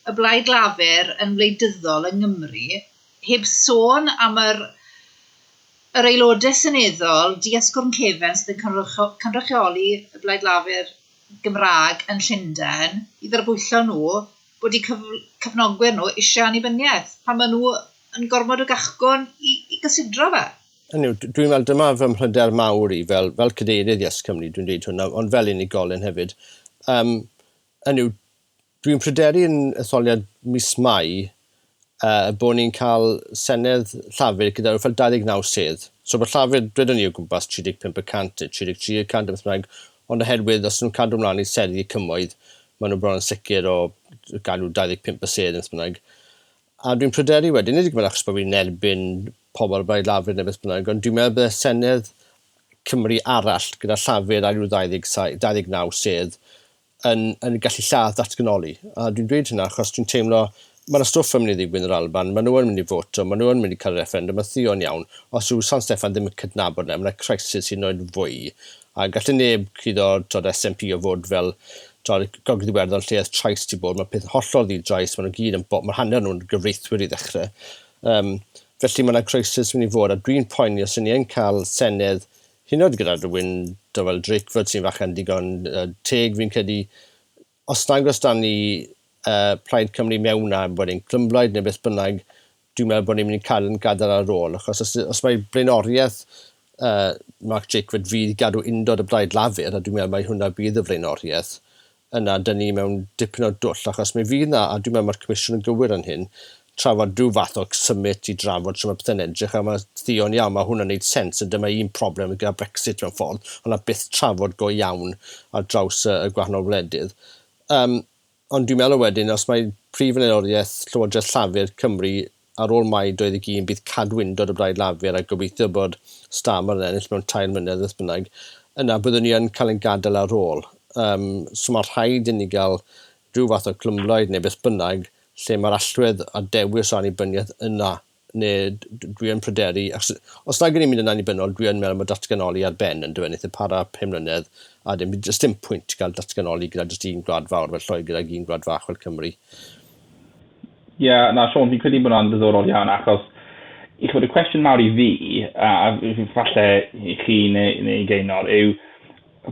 y Blaid Lafur yn wleidyddol yng Nghymru, heb sôn am yr yr aelodau seneddol, di-asgwrn cefen sydd yn cynrychioli y Blaid Lafur Gymraeg yn Llundain, i ddarbwyllo nhw bod eu cyf cyfnogwyr nhw eisiau annibyniaeth, pan maen nhw yn gormod o gachgwn i, i gysidro fe. Hynny yw, dwi'n meddwl dyma fy mhryder mawr i fel, fel cadeirydd Yes Cymru, dwi'n dweud hwnna, ond fel unigolyn hefyd. Um, hynny yw, dwi'n pryderu yn etholiad mis Mai uh, bod ni'n cael Senedd Llafur gyda fel dau ddeg naw sedd. So bod Llafur, dwedwn ni o gwmpas tri deg pump y cant neu tri deg tri y cant beth bynnag, ond oherwydd os nhw'n cadw ymlaen i seddi y cymoedd, maen nhw bron yn sicr o gadw dau ddeg pump y sedd beth bynnag. A dwi'n pryderu wedyn, nid yw'n achos bod fi'n erbyn pobl y Blaid Lafur neu beth bynnag, ond dwi'n meddwl bydd Senedd Cymru arall gyda Llafur a rhyw dau ddeg saith, dau ddeg naw sedd yn, yn gallu lladd datganoli. A dwi'n dweud hynna achos dwi'n teimlo mae yna stwff yn mynd i ddigwydd yn yr Alban, maen nhw yn mynd i voto, maen nhw yn mynd i cael referendum, mae Theo'n iawn. Os yw San Steffan ddim yn cydnabod yna, mae yna crisis sy'n oed fwy. A gallu neb cuddo tod, S N P o fod fel tod, Gogledd Iwerddon lle oedd trais di bod, mae peth hollol ddi-drais, maen nhw gyd yn bo-, mae hanner nhw'n gyfreithwyr i ddechrau. Um, felly mae yna crisis mynd i fod, a dwi'n poeni os ni yn cael Senedd, hyd yn oed gyda rhywun fel Drakeford sy'n fachan digon uh, teg fi'n credu, os nag oes dan ni uh, Plaid Cymru mewn a bod ni'n clymblaid neu beth bynnag, dwi'n meddwl bod ni'n mynd i cael yn gadael ar ôl, achos os, os mae blaenoriaeth uh, Mark Drakeford fydd i gadw undod y Blaid Lafur, a dwi'n meddwl mai hwnna bydd y flaenoriaeth, yna dyn ni mewn dipyn o dwll, achos mi fydd na, a dwi'n meddwl mae'r Comisiwn yn gywir yn hyn, trafod rhyw fath o summit i drafod sut mae pethau'n edrych, a mae Theo'n iawn, mae hwnna'n neud sens, a dyma un problem gyda Brexit mewn ffordd, ond na byth trafod go iawn ar draws y, y gwahanol wledydd. Um, ond dwi'n meddwl wedyn, os mae prif flaenoriaeth Llywodraeth Llafur Cymru ar ôl Mai dau ddeg un bydd cadw undod y Blaid Lafur a gobeithio bod Starmer yn ennill mewn tair mlynedd beth bynnag, yna byddwn ni yn cael ein gadael ar ôl. Um, so mae rhaid i ni gael rhyw fath o clymblaid neu beth bynnag lle mae'r allwedd a dewis o annibyniaeth yna, neu dwi yn pryderu, achos os nag ydyn ni'n mynd yn annibynnol, dwi yn meddwl mae datganoli ar ben yn dweud, wnaeth e para pum mlynedd, a dim, jyst dim pwynt gael datganoli gyda jyst un gwlad fawr fel Lloegr ag un gwlad fach fel Cymru. Ie, yeah, na, Siôn, fi'n credu bod hwnna'n ddiddorol iawn, achos i chwbod, y cwestiwn mawr i fi, a falle i chi neu, neu Gaynor, yw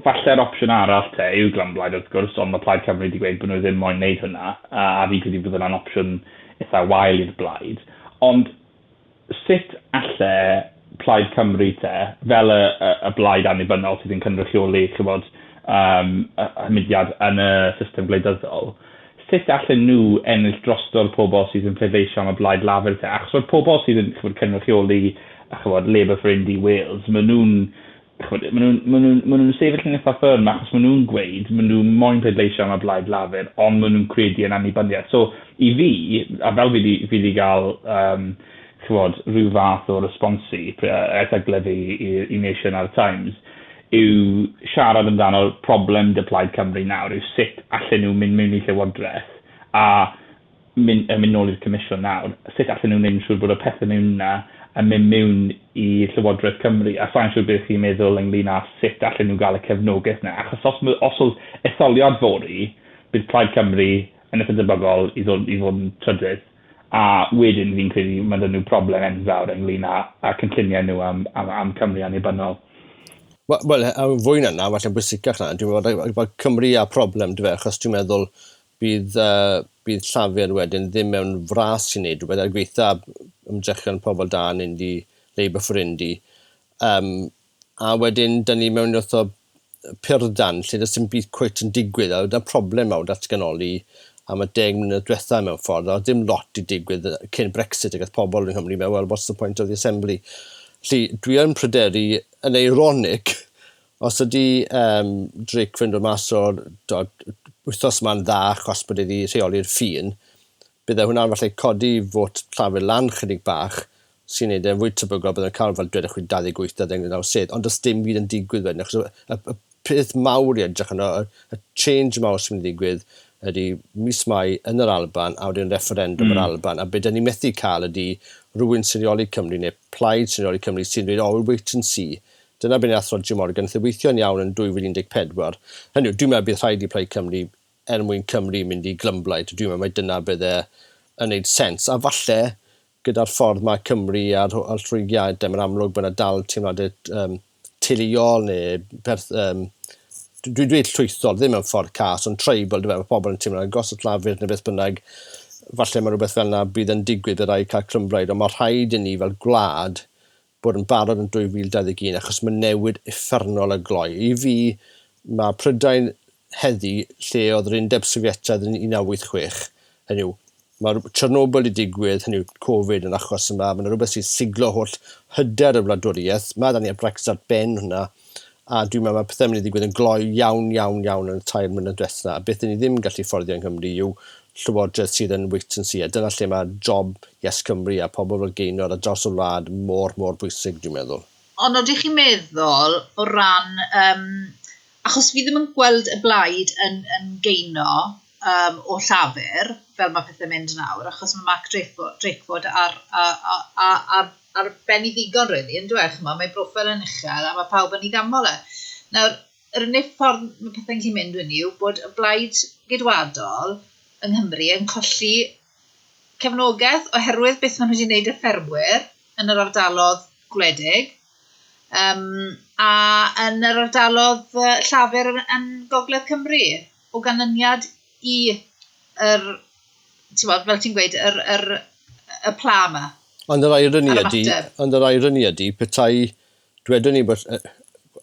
falle'r opsiwn arall te yw glymblaid wrth gwrs, ond mae Plaid Cymru wedi gweud bod nhw ddim moyn wneud hwnna, a, a fi'n credu bod hwnna'n opsiwn eitha wael i'r blaid. Ond sut alle Plaid Cymru te, fel y, y, y blaid annibynnol sydd yn cynrychioli, ch'bod, um, y, y mudiad yn y system gwleidyddol, sut allen nhw ennill drosto'r pobl sydd yn pleidleisio am y Blaid Lafur te? Achos mae'r pobl sydd yn, ch'bod, cynrychioli, ch'bod, Labour for Indy Wales, maen nhw'n, ch'bod, maen nhw'n, maen nhw'n, maen nhw'n sefyll yn eitha ffyrm achos maen nhw'n gweud, maen nhw'n moyn pleidleisio am y Blaid Lafur, ond maen nhw'n credu yn annibyniaeth. So, i fi, a fel fi di, fi di gael, um, ch'bod, rhyw fath o responsi, erthyglau fi i, i Nation a'r Times, yw siarad amdano'r problem dy Plaid Cymru nawr, yw sut allan nhw mynd mewn i Llywodraeth a mynd, mynd nôl i'r Comisiwn nawr, sut allan nhw'n neud yn siŵr bod y pethau mewn yna yn mynd mewn i Llywodraeth Cymru, a sa'n siŵr beth chi'n meddwl ynglyn â sut allan nhw gael y cefnogaeth yna, achos os, os oedd etholiad fory, bydd Plaid Cymru yn eitha debygol i ddod, i fod yn trydydd, a wedyn fi'n credu mae 'da nhw problem enfawr ynglyn â, â cynlluniau nhw am, am, am Cymru annibynnol. Wel, wel, a fwy na 'na, falle'n bwysicach na, dwi'n meddwl bod Cymru â problem, dyfe, achos dwi'n meddwl bydd, uh, bydd Llafur wedyn ddim mewn fras i wneud rhywbeth, er gweitha ymdrechion pobl da yn Indy, Labour for Indy. Um, a wedyn, dyn ni mewn wrth o purdan, lle does dim byd cweit yn digwydd, a dyna problem mawr datganoli am y deg mlynedd diwetha mewn ffordd, a dim lot i digwydd cyn Brexit, ac oedd pobl yng Nghymru mewn, well, what's the point of the assembly? Felly, dwi yn pryderu, yn eironig, os ydy um, Drake fynd o mas o'r wythnos yma'n dda achos bod wedi rheoli'r ffin, bydde hwnna'n falle codi fot Llafur lan chydig bach, sy'n neud e'n fwy tebygol bydde'n cael fel dwedwch chi dau ddeg wyth, dau ddeg naw sedd, ond does dim byd yn digwydd wedyn, achos y, y, y peth mawr i edrych yno, y, y change mawr sy'n mynd i ddigwydd ydy mis Mai yn yr Alban a wedyn referendum mm. yr Alban, a be dyn ni methu cael ydy rhywun sy'n rheoli Cymru neu plaid sy'n rheoli Cymru sy'n dweud, oh, we'll wait and see. Dyna beth nath Rhodri Morgan, nath e weithio'n iawn yn dwy fil un deg pedwar. Hynny yw, dwi'n meddwl bydd rhaid i Plaid Cymru er mwyn Cymru mynd i glymblaid. Dwi'n meddwl mai dyna bydde yn neud sens. A falle gyda'r ffordd mae Cymru a'r, a'r rhwygiadau, mae'n amlwg bod yna dal teimladau um, teuluol neu perth, um, dwi'n dweud llwythol, ddim yn ffordd cas, ond tribal, dwi'n meddwl, mae pobl yn teimlo'n agos at Lafur neu beth bynnag, falle mae rhywbeth fel yna bydd yn digwydd, bydd rhaid cael clymblaid, ond mae rhaid i ni fel gwlad bod yn barod yn dwy fil dau ddeg un, achos mae newid uffernol y gloi. I fi, mae Prydain heddi lle oedd yr Undeb Sofietaidd yn un naw wyth chwech. Hynny yw, mae Chernobyl wedi digwydd, hynny yw Covid yn achos yma, mae yna rhywbeth sy'n siglo holl hyder y wladwriaeth, mae da ni y Brexit ar ben hwnna, a dwi'n meddwl mae pethau'n mynd i ddigwydd yn gloi iawn, iawn, iawn yn y tair mlynedd diwetha. A beth ni ddim yn gallu fforddio yng Nghymru yw llywodraeth sydd yn wait and see. A dyna lle mae job Yes Cymru a pobl fel Gaynor a dros y wlad mor, mor bwysig, dwi'n meddwl. Ond oeddech chi'n meddwl o ran... Um, achos fi ddim yn gweld y blaid yn, yn gaino um, o Llafur, fel mae pethau'n mynd nawr, achos mae Mark Drakeford, Drakeford ar, ar, ar, ar, ar ben i ddigon, really, yn dweud, ch'mo, mae broffil yn uchel a mae pawb yn ei ganmol e. Nawr, yr unig ffordd mae pethau'n gallu mynd yn yw bod y blaid geidwadol yng Nghymru yn colli cefnogaeth oherwydd beth maen nhw wedi gwneud y ffermwyr yn yr ardalodd gwledig, um, a yn yr ardalodd Llafur yn, yn Gogledd Cymru, o ganlyniad i yr, ti'n bod, fel ti'n gweud, yr, yr, y pla yma. Ond yr irony ydy, ond yr irony ydy, petai, dwedwn ni bod,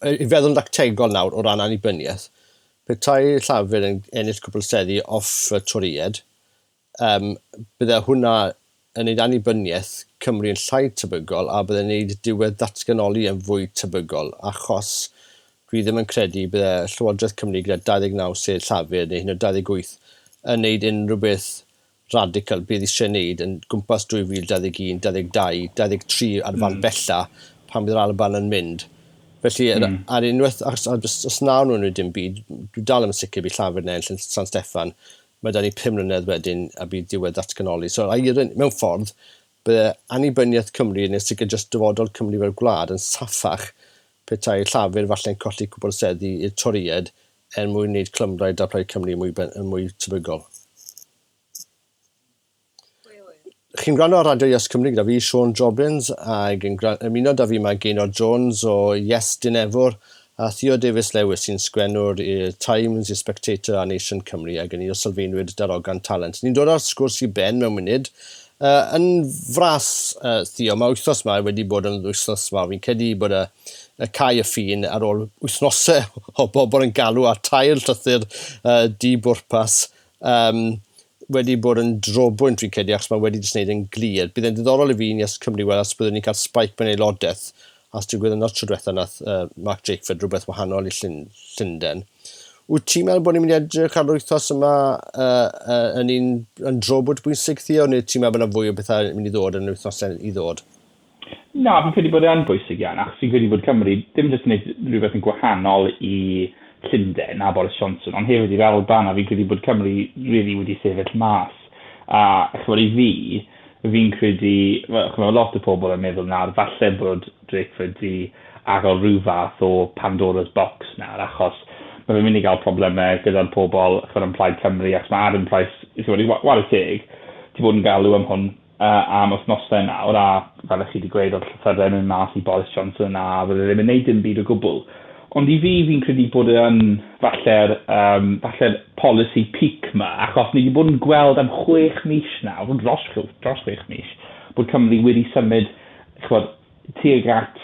i feddwl yn dactegol nawr o ran annibyniaeth, petai Llafur yn ennill cwpl seddi off y Torïaid, um, bydde hwnna yn neud annibyniaeth Cymru yn llai tebygol a bydde'n neud diwedd datganoli yn fwy tebygol, achos dwi ddim yn credu bydde Llywodraeth Cymru gyda dau ddeg naw sedd Llafur neu hyn o dau ddeg wyth yn neud unrhyw beth radical bydd eisiau neud yn gwmpas dwy fil dau ddeg un, dau ddeg dau, dau ddeg tri ar fan mm. bella pan bydd yr Alban yn mynd. Felly, mm. ar unwaith, os, os nawn nhw'n dim byd, dwi dal yn sicr bydd Llafur yn ennill yn San Steffan, mae da ni pum mlynedd wedyn a bydd diwedd datganoli. So, mewn ffordd, bydde annibyniaeth Cymru neu sicr jyst dyfodol Cymru fel gwlad yn saffach petai Llafur falle'n colli cwpl seddi i'r Torïaid er mwyn wneud clymblaid a Plaid Cymru mwy, mwy tebygol. Chi'n gwrando ar Radio Yes Cymru gyda fi, Siôn Jobbins, ac yn ymuno da fi mae Gaynor Jones o Yes Dinefwr a Theo Davies Lewis sy'n sgwennwr i'r Times, i'r Spectator a Nation Cymru ac yn un o sylfaenwyr Darogan Talent. Ni'n dod â'r sgwrs i ben mewn munud. Uh, yn fras, uh, Theo, mae wythnos yma wedi bod yn wythnos yma. Fi'n credu bod y, y cau y ffin ar ôl wythnosau o bobl yn galw a tair llythyr uh, di-bwrpas. Um, wedi bod yn drobwynt fi'n credu, achos mae wedi jyst wneud yn glir. Bydd e'n diddorol i fi yn Yes Cymru weld os byddwn ni'n cael spike mewn aelodaeth, as digwydd yn tro diwetha nath uh, Mark Drakeford rhywbeth wahanol i Llun, Llundain. Wyt ti'n meddwl bod ni'n mynd i edrych ar yr wythnos yma uh, uh, yn un yn drobwynt bwysig, Theo, neu ti'n meddwl bod yna fwy o bethau yn mynd i ddod yn yr wythnosau i ddod? Na, fi'n credu bod e'n bwysig iawn, achos fi'n credu bod Cymru ddim jyst yn gwneud rhywbeth yn gwahanol i Llundain a Boris Johnson, ond hefyd i'r Alban, a fi'n credu bod Cymru really wedi sefyll mas. A ch'mod, i fi, fi'n credu, well, ch'mod, lot o pobl yn meddwl nawr, falle bod Drakeford di agor rhyw fath o Pandora's box nawr, achos mae fe'n mynd i gael problemau gyda'r pobl ch'mod, yn Plaid Cymru, achos mae Adam Price, ch'mod, i whare teg, ti bod yn galw am hwn uh, am wythnosau nawr, a fel ych chi wedi gweud, oedd llythyrau mynd mas i Boris Johnson, a fydde ddim yn neud dim byd o gwbl. Ond i fi, fi'n credu bod yn falle'r um, falle'r policy peak yma, achos ni wedi bod yn gweld am chwech mis nawr, dros, dros chwech mis, bod Cymru wedi symud ch'mod, tuag at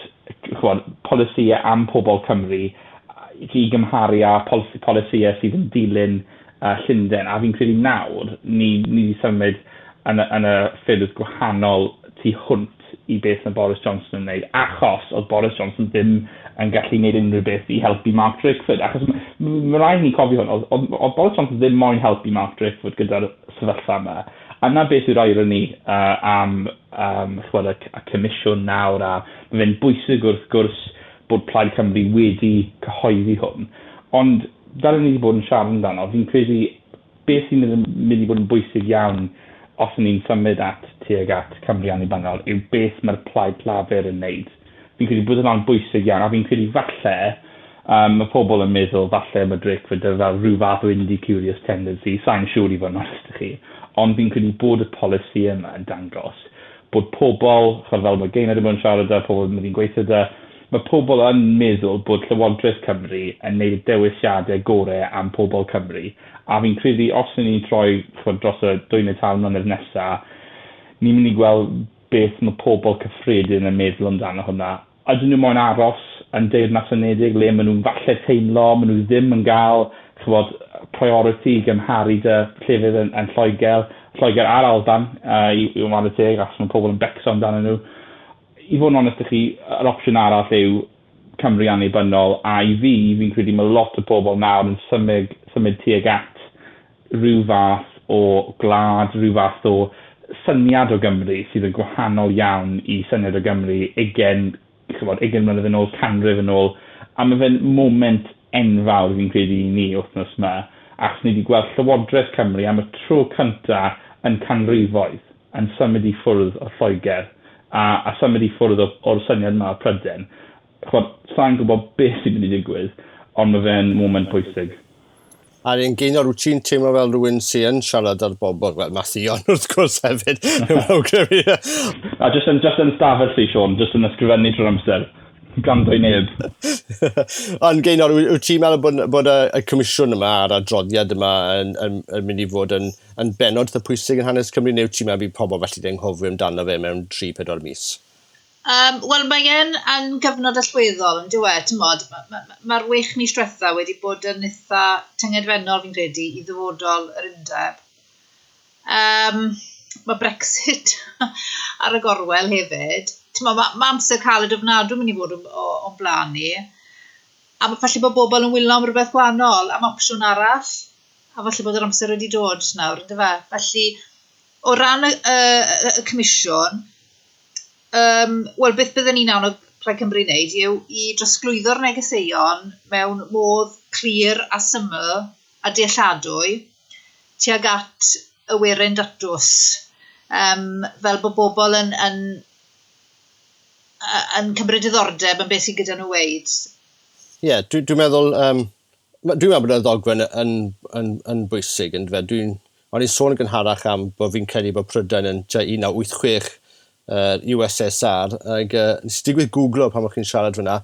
ch'mod, polisïau am pobl Cymru i gymharu â polisïau sydd yn dilyn uh, Llundain. A fi'n credu nawr, ni, ni wedi symud yn, yn y ffyrdd gwahanol tu hwnt i beth mae Boris Johnson yn wneud, achos oedd Boris Johnson ddim yn gallu gwneud unrhyw beth i helpu Mark Drakeford. Achos mae rhaid ni cofio hwn, oedd, oedd Boris Johnson ddim moyn helpu Mark Drakeford gyda'r sefyllfa yma. A na beth yw'r irony uh, am um, ch'mod, y, y comisiwn nawr, a mae fe'n bwysig wrth gwrs bod Plaid Cymru wedi cyhoeddi hwn. Ond fel ni wedi bod yn siarad amdano, fi'n credu beth sy'n mynd i bod yn bwysig iawn os ni'n symud at tuag at Cymru annibynnol yw beth mae'r Plaid Lafur yn wneud. Fi'n credu bod hwnna'n bwysig iawn, a fi'n credu falle, um, mae pobl yn meddwl falle mae Drakeford fel rhyw fath o indie curious tendency, sa'n siŵr i fod yn onest i chi, ond fi'n credu bod y polisi yma yn dangos bod pobl, chod fel mae Gaynor wedi bod yn siarad â, pobl yn mynd i'n gweithio da, mae pobl yn meddwl bod Llywodraeth Cymru yn neud y dewisiadau gorau am pobl Cymru. A fi'n credu os ni'n troi chod, dros y dwy neu tair mlynedd nesaf, ni'n mynd i gweld beth mae pobl cyffredin yn meddwl amdano hwnna. Ydyn nhw moyn aros yn Deyrnas Unedig le maen nhw'n falle teimlo, maen nhw ddim yn gael chybod, priority i gymharu dy llefydd yn, yn Lloegr, Lloegr a'r Alban, uh, i, i wneud y teg, achos mae pobl yn becso amdano nhw. I fod yn onest i chi, yr opsiwn arall yw Cymru annibynnol, a i fi, fi'n credu mae lot o bobl nawr yn symud, symud tuag at rhyw fath o gwlad, rhyw fath o syniad o Gymru sydd yn gwahanol iawn i syniad o Gymru ugain, chybod, ugain mlynedd yn ôl, canrif yn ôl, a mae fe'n moment enfawr fi'n credu i ni wythnos yma, achos ni wedi gweld Llywodraeth Cymru am y tro cyntaf yn canrifoedd yn symud i ffwrdd o Lloegr a, a symud i ffwrdd o'r syniad yma o Prydain. Chybod, sa'n gwybod beth sy'n mynd i digwydd, ond mae fe'n moment pwysig. A'r un Gaynor, wyt ti'n teimlo fel rhywun sy'n yn siarad ar bobl? Wel, mae Theon wrth gwrs hefyd. A just yn, just yn stafell fi, Sean, just yn ysgrifennu trwy'r amser. Gwrando i neb. Ond Gaynor, wyt ti'n meddwl bod, bod y, y comisiwn yma a'r adroddiad yma yn, yn, yn mynd i fod yn, yn benod eitha pwysig yn hanes Cymru, neu wyt ti'n meddwl bydd pobl felly di anghofio amdano fe mewn tri pedwar mis? Um, Wel, mae e'n yn gyfnod allweddol, yn dyw e, ti'mod, mae'r ma, ma, ma wech mis diwetha wedi bod yn eitha tyngedfennol, fi'n credu, i ddyfodol yr undeb. Um, mae Brexit ar y gorwel hefyd. Ti'mod, mae ma amser caled ofnadw mynd i fod o'n blaen ni. A ma, falle bod bobl yn wylo am rhywbeth gwahanol, am opsiwn arall. A falle bod yr amser wedi dod nawr, yndyfe? Felly, o ran y, y, y, y comisiwn, um, wel, beth byddwn ni'n annog Plaid Cymru wneud yw i drosglwyddo'r negeseuon mewn modd clir a syml a dealladwy tuag at y werin datws. Um, fel bod bobl yn, yn, yn cymryd diddordeb yn beth sydd gyda nhw weud. Ie, yeah, dwi'n dwi meddwl, um, dwi'n meddwl bod y ddogfen yn, yn, yn bwysig, yn fe. Dwi'n, o'n i'n sôn yn gynharach am bod fi'n credu bod Prydain yn tua un naw wyth chwech uh, U S S R, ac uh, nes i digwydd googlo pan o'ch chi'n siarad fyna.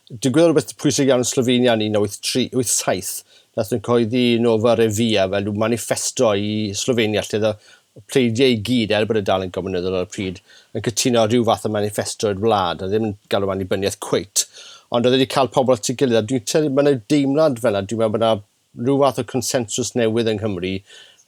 Digwydd rhywbeth pwysig iawn yn Slovenia yn un naw wyth tri, wyth saith, nath nhw'n cyhoeddi Nova Revia fel rhyw manifesto i Slovenia, lle oedd y pleidiau i gyd, er bod y dal yn gomiwnyddol ar y pryd, yn cytuno rhyw fath o manifesto i'r wlad, a ddim yn galw annibyniaeth cweit. Ond oedd wedi cael pobl at ei gilydd, a dwi'n teimlo, mae yna deimlad fel yna, dwi'n meddwl bod yna rhyw fath o consensus newydd yng Nghymru,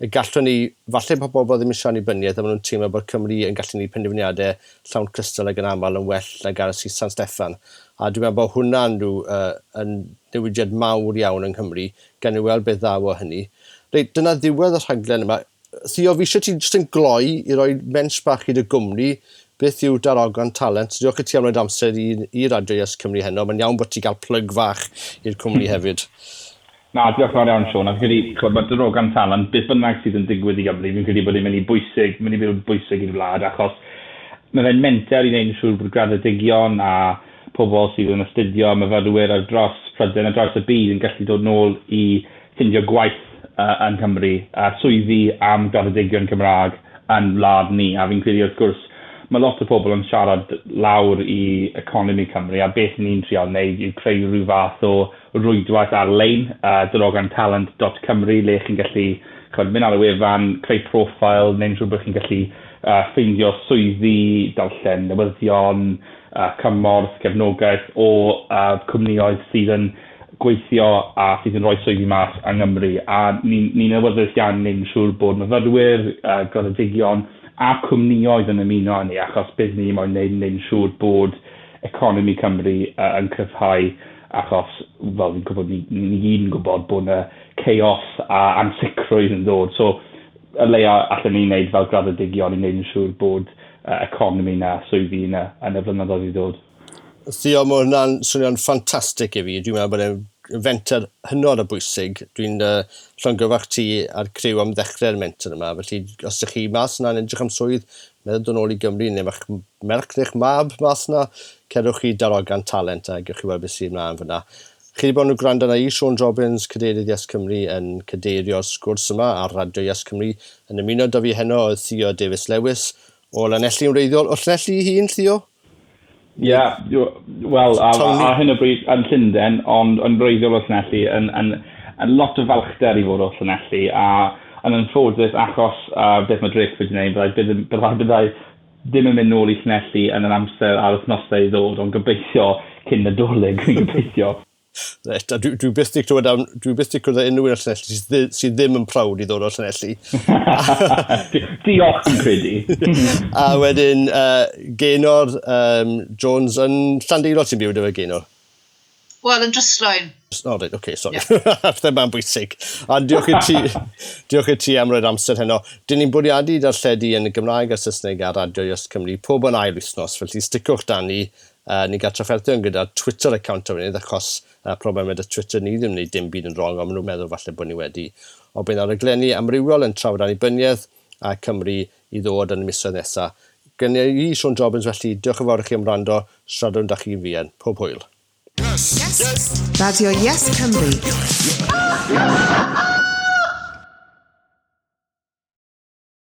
y gallwn ni, falle bod pobl ddim eisiau annibyniaeth, a maen nhw'n teimlo bod Cymru yn gallu gwneud penderfyniadau llawn cystal ag yn aml yn well nag aros i San Steffan. A dwi'n meddwl bod hwnna'n rhyw, uh, yn newidiad mawr iawn yng Nghymru, gan i weld beth ddaw o hynny. Reit, dyna ddiwedd y rhaglen yma. Theo, fi eisiau ti jyst yn gloi i roi mensh bach i dy gwmni, beth yw Darogan Talent. Diolch i ti am roed amser i, i Radio Yes Cymru heno. Mae'n iawn bod ti gael plug fach i'r cwmni hefyd. Na, diolch yn fawr iawn, Sean. A fi'n credu, ch'mod, mae Darogan Talent, beth bynnag sydd yn digwydd i Gymru, fi'n credu bod e'n mynd i bwysig, mynd i bod yn bwysig i'r wlad, achos mae fe'n menter i wneud yn siŵr bod graddedigion a pobl sydd yn astudio, myfyrwyr ar dros Prydain, ar draws y byd yn gallu dod nôl i ffindio gwaith, uh, yn Cymru, a swyddi am graddedigion Cymraeg yn wlad ni. A fi'n credu, wrth gwrs, mae lot o pobl yn siarad lawr i economi Cymru, a beth ni'n trial wneud yw creu rhyw fath o rwydwaith ar-lein, uh, darogan talent dot cymru, le chi'n gallu, ch'mod, mynd ar y wefan, creu profil, neu'n siŵr bod chi'n gallu, uh, ffeindio swyddi, darllen newyddion, uh, cymorth, cefnogaeth o, uh, cwmnïoedd sydd yn gweithio a sydd yn rhoi swyddi mas yng Nghymru. A ni'n ni awyddus iawn i wneud yn siŵr bod myfyrwyr, uh, graddedigion a cwmnïoedd yn ymuno â ni, achos beth ni moyn wneud yn wneud yn siŵr bod economi Cymru, uh, yn cryfhau, achos, fel fi'n gwybod, ni, ni gyd yn gwybod bod yna chaos a ansicrwydd yn dod. So, y leia allan ni wneud fel graddedigion i wneud yn siŵr bod, uh, economi na, swyddi na yn y flynyddoedd i ddod. Theo, mae hwnna'n swnio'n ffantastig i fi. Dwi'n meddwl bod e'n fenter hynod o bwysig. Dwi'n uh, llongyfarch ti a'r criw am ddechrau'r menter yma. Felly, os ydych chi mas yna'n edrych am swydd, meddwl dod nôl i Gymru, neu ma'ch merch neu'ch mab mas yna, cerwch chi Darogan Talent a gewch chi weld beth sydd ymlaen fyna. Chi wedi bod yn gwrando arna i, Siôn Jobbins, Cadeirydd Yes Cymru, yn cadeirio'r sgwrs yma ar Radio Yes Cymru. Yn ymuno â fi heno oedd Theo Davies Lewis o Lanelli yn wreiddiol. O Llanelli i hun, Theo? Ie, yeah, wel, ar, ar hyn o bryd yn Llundain, ond yn wreiddiol o Llanelli, yn, yn, yn lot o falchder i fod o Llanelli, a yn anffodus achos uh, beth mae Drakeford wedi gwneud, byddai, byddai, byddai ddim yn mynd nôl i Llanelli yn yr amser a'r wythnosau i ddod, ond gobeithio cyn Nadolig, dwi'n gobeithio. Reit, a dwi, dwi byth di clywed am, dwi byth di clywed unrhyw un o Llanelli sydd, sydd ddim yn proud i ddod o Llanelli. Diolch yn credu. A wedyn, uh, Gaynor um, Jones yn Llandeilo ti'n byw 'da fe, Gaynor? Wel, yn Dryslwyn. O, oh, reit, oce, okay, sorry. Yeah. Pethau ma'n bwysig. A diolch i ti, diolch i ti am roi'r amser heno. Dyn ni'n bwriadu darlledu yn y Gymraeg a Saesneg ar Radio Yes Cymru pob yn ail wythnos, felly sticwch 'da ni. Uh, ni'n gael trafferthion gyda Twitter account o fyny, achos uh, problem gyda Twitter ni ddim yn gwneud dim byd yn wrong, ond maen nhw'n meddwl falle bod ni wedi. Ond bydd ar raglenni amrywiol yn trafod annibyniaeth a Cymru i ddod yn y misoedd nesaf. Gen i Siôn Jobbins felly, diolch yn fawr i chi am wrando, siaradwn 'da chi'n fuan. Pob hwyl. Yes. Yes. Radio Yes Cymru.